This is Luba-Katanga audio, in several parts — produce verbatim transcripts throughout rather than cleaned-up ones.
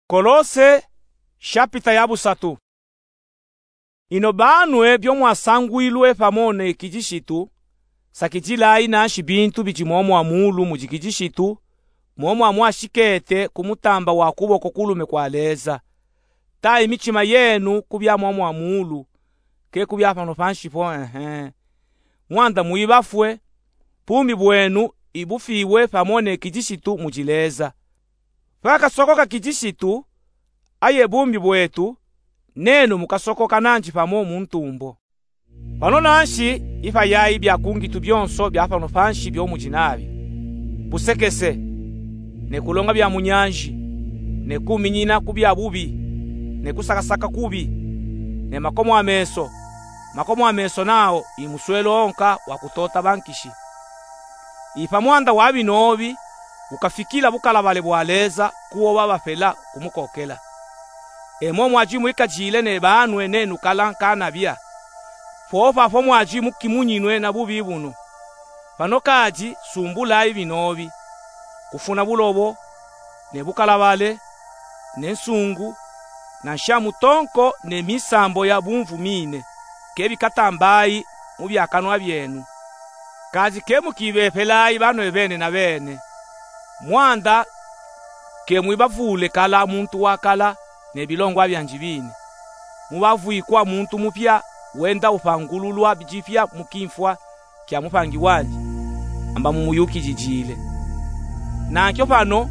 Kolose, shapita ya busatu. Ino banwe byo mwasangwilwe pamo ne Kijishitu, sakijilayi nanshi bintu bidi mwomwa mulu mudi Kijishitu, mwomwa mwashikete ku mutamba wa kuboko kulume kwa Leza. Tayi michima yenu ku bya mwomwa mulu, ke ku bya pano panshi po, ehe. Mwanda mwibafwe, bumi bwenu ibufiwe pamo ne Kijishitu mudi Leza. Pakasokoka Kijishitu, aye bumi bwetu, nenu mukasokoka nanji pamo mu ntumbo. Pano nanshi, ipayayi bya kungitu byonso bya pano panshi byo mudi nabyo: busekese, ne kulonga bya mu nyanji, ne kuminyina ku bya bubi, ne kusakasaka kubi, ne makomo a meso, makomo a meso nawo i muswelo wonka wa kutota bankishi. Ipa mwanda wa binobi, ukafikila bukalabale bwa Leza ku wo babapela kumukokela. E mo mwadi mwikajile ne banwe nenu kala nkanabya, popo apo mwadi mukimunyinwe na bubi bunu. Pano kadi sumbulayi binobi: kufuna bulobo, ne bukalabale, ne nsungu, na nsha mutonko ne misambo ya bumvu mine, ke bikatambayi mu bya kanwa byenu. Kadi ke mukibepelayi banwe bene na bene. Mwanda ke mwibavule kala muntu wa kala ne bilongwa byanji bine. Mubavwikwa muntu mupya, wenda upangululwa dipya mu kimfwa kya mupangi wanji, amba mumuyukijijile. Nankyo pano,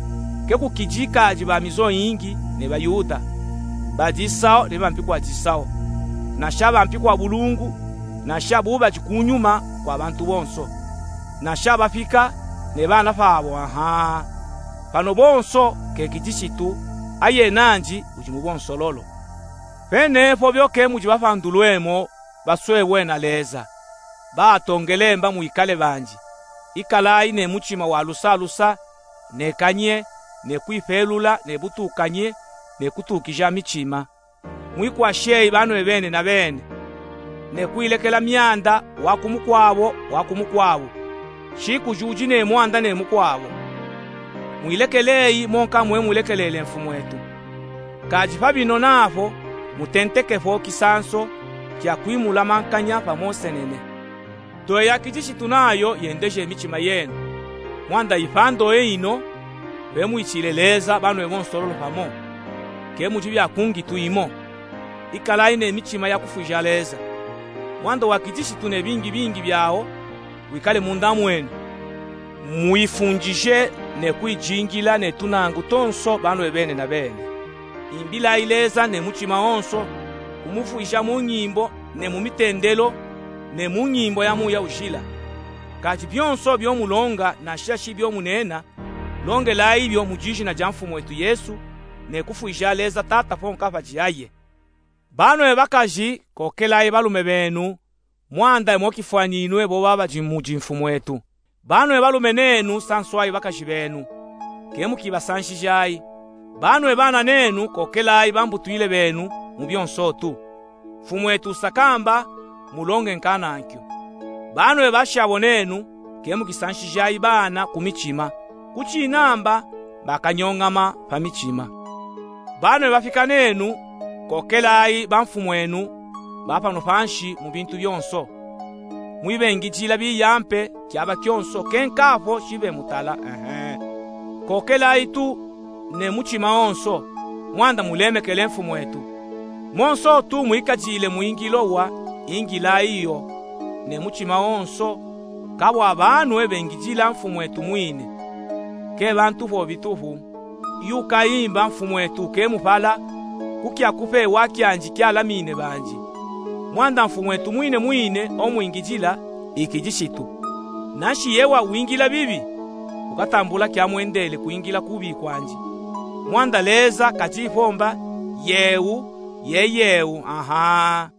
ke kukijikadi ba mizo yingi ne Bayuda, ba disawo ne bampi kwa disawo, na sha bampi kwa bulungu, na sha bubadi ku nyuma kwa bantu bonso, na sha bapika ne bana pabo, aha. Pano bonso ke Kijishitu, aye nanji udi mu bonsololo. Penepo byo ke mudi bapandulwemo, baswebwe na Leza, batongelemba mwikale banji. Ikalayi ne muchima wa lusa lusa, ne kanye, ne kwipelula, ne butukanye, ne kutukija michima. Mwikwasheyi banwe bene na bene, ne kwilekela myanda, wa ku mukwabo, wa ku mukwabo, shikujudi ne mwanda ne mukwabo. Mwilekeleyi monka mwe mulekelele mfumwetu. Kadi pa bino napo, mutentekepo kisanso kya kwimula mankanya pamo nsenene. Toya Kijishitu nayo yendeje michima yenu. Mwanda ipa ndoye ino, pe mwitile Leza banwe bonsololo pamo. Ke mudi bya kungitu imo. Ikalayi ne michima ya kufwija Leza. Mwanda wa Kijishitu ne bingi bingi byawo wikale munda mwenu. Mwifundije ne kwijingila ne tunangu tonso banwe bene na bene. Imbilayi Leza ne muchima wonso, kumufwija mu nyimbo ne mu mitendelo, ne mu nyimbo ya muya ujila. Kadi byonso byo mulonga na sha shi byo munena, longelayi byo mu dijina dya Mfumwetu Yesu, ne kufwija Leza Tata ponka padi aye. Banwe bakaji, kokelayi balume benu, mwanda imo kifwaninwe bo babadi mudi Mfumwetu. Banwe balume nenu, sanswayi bakaji benu, ke mukibasanshijayi. Banwe bana nenu, kokelayi bambutwile benu mu byonso tu. Mfumwetu usakamba, mulonge nkanankyo. Banwe bashabo nenu, ke mukisanshijayi bana ku michima, kuchinamba bakanyongama pa michima. Banwe bapika nenu, kokelayi bamfumwenu ba pano panshi mu bintu byonso. Mwibengijila biyampe kyaba kyonso, kenkapo shibe mutala, ehe. Kokelayi tu ne muchima wonso, mwanda mulemekele Mfumwetu. Monso tu mwikajile mwingilo wa, ingilayi yo ne muchima wonso, kabwa banwe bengijila Mfumwetu mwine, ke bantu po bitupu. Yu kayimba Mfumwetu ke mupala, kukya kupewa kyanji kyalamine banji. Mwanda Mfumwetu mwine mwine omwingijila, i Kijishitu. Nanshi yewa wingila bibi, ukatambula kyamwendele kwingila kubi kwanji. Mwanda Leza kajipomba, yeu, ye yeu, aha.